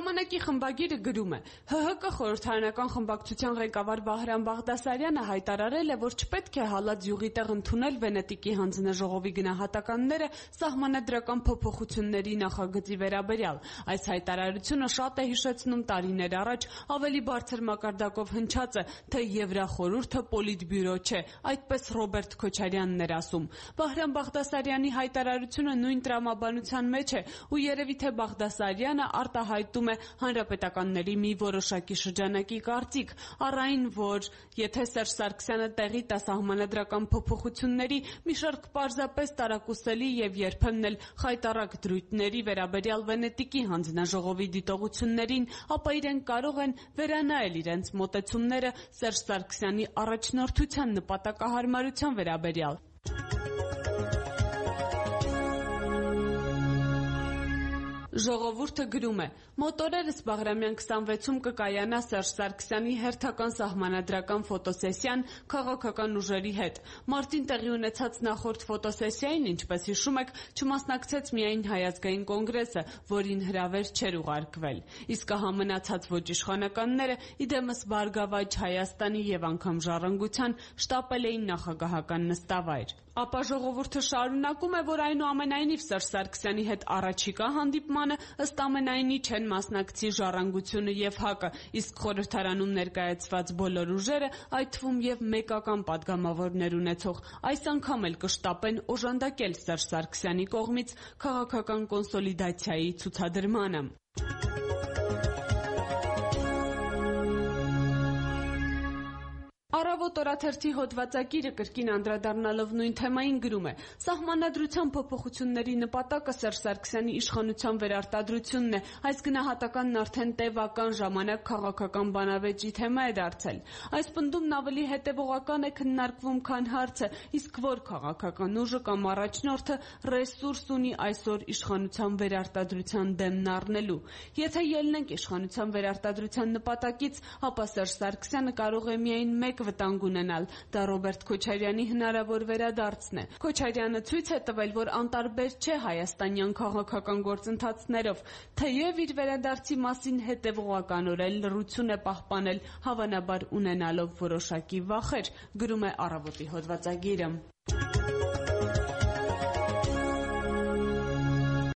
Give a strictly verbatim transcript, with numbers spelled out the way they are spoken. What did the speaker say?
Ժամանակի խմբագիրը գրում է. «Հ Հ Կ խորհրդարանական խմբակցության ղեկավար Վահրամ Բաղդասարյանը հայտարարել է, որ չպետք է հալած յուղի տեղ ընդունել Վենետիկի հանձնաժողովի գնահատականները սահմանադրական փոփոխությունների նախագծի վերաբերյալ։ Այս հայտարարությունը շատ է հիշեցնում տարիներ առաջ ավելի բարձր մակարդակով հնչած է, թե Եվրախորհուրդը պոլիտբյուրո չէ, այդպես Ռոբերտ Քոչարյանն էր ասում։ Վահրամ Բաղդասարյանի հայտարարությունը նույն տրամաբանության մեջ է, ու երևի թե Բաղդասարյանը արտահայտում է հանրապետականների մի որոշակի շրջանակի կարծիք, առ այն, որ եթե Սերժ Սարգսյանը տեղի տա սահմանադրական փոփոխությունների մի շարք պարզապես տարակուսելի եւ երբեմն էլ խայտառակ դրույթների վերաբերյալ Վենետիկի հանձնաժողովի դիտողություններին, ապա իրենք կարող են վերանայել իրենց մոտեցումները Սերժ Սարգսյանի առաջնորդության նպատակահարմարության վերաբերյալ»։ Ժողովուրդը գրում է. «Մոտ օրերս Բաղրամյան քսանվեցում կկայանա Սերժ Սարգսյանի հերթական սահմանադրական ֆոտոսեսիան քաղաքական ուժերի հետ։ Մարտին տեղի ունեցած նախորդ ֆոտոսեսիային, ինչպես հիշում եք, չմասնակցեց միայն Հայ ազգային կոնգրեսը, որին հրավեր չէր ուղարկվել։ Իսկ ահա մնացած ոչ իշխանականները, իդեմս Բարգավաճ Հայաստանի եւ անգամ Ժառանգության շտապել էին նախագահական նստավայր։ Ապա ժողովուրդը շարունակում է, որ այնուամենայնիվ Սերժ Սարգսյանի հետ առաջիկա հանդիպմանը ըստ ամենայնի չեն մասնակցի Ժառանգությունը եւ Հ Կ-ը, իսկ խորհրդարանում ներկայացված բոլոր ուժերը, այդ թվում եւ մեկական падգամավորներ ունեցող, այս անգամ էլ կշտապեն օժանդակել Սերժ Սարգսյանի կողմից քաղաքական կոնսոլիդացիայի ցուցադրմանը»։ Առավոտ օրաթերթի հոդվածագիրը կրկին անդրադառնալով նույն թեմային գրում է. «Սահմանադրության փոփոխությունների նպատակը Սերժ Սարգսյանի իշխանության վերարտադրությունն է, այս գնահատականն արդեն տևական ժամանակ քաղաքական բանավեճի թեմա է դարձել։ Այս պնդումն ավելի հետևողական է քննարկվում, քան հարցը, իսկ որ քաղաքական ուժը կամ առաջնորդը ռեսուրս ունի այսօր իշխանության վերարտադրության դեմն առնելու։ Եթե ելնենք իշխանության վերարտադրության նպատակից, ապա Սերժ Սարգսյանը կարող է միայն մեկ վտանգ ունենալ, դա Ռոբերտ Քոչարյանի հնարավոր վերադարձն է։ Քոչարյանը ցույց է տվել, որ անտարբեր չէ հայաստանյան քաղաքական գործընթացներով, թեև իր վերադարձի մասին հետևողականորեն լռություն է պահպանել, հավանաբար ունենալով որոշակի վախեր», գրում է Առավոտի հոդվածագիրը։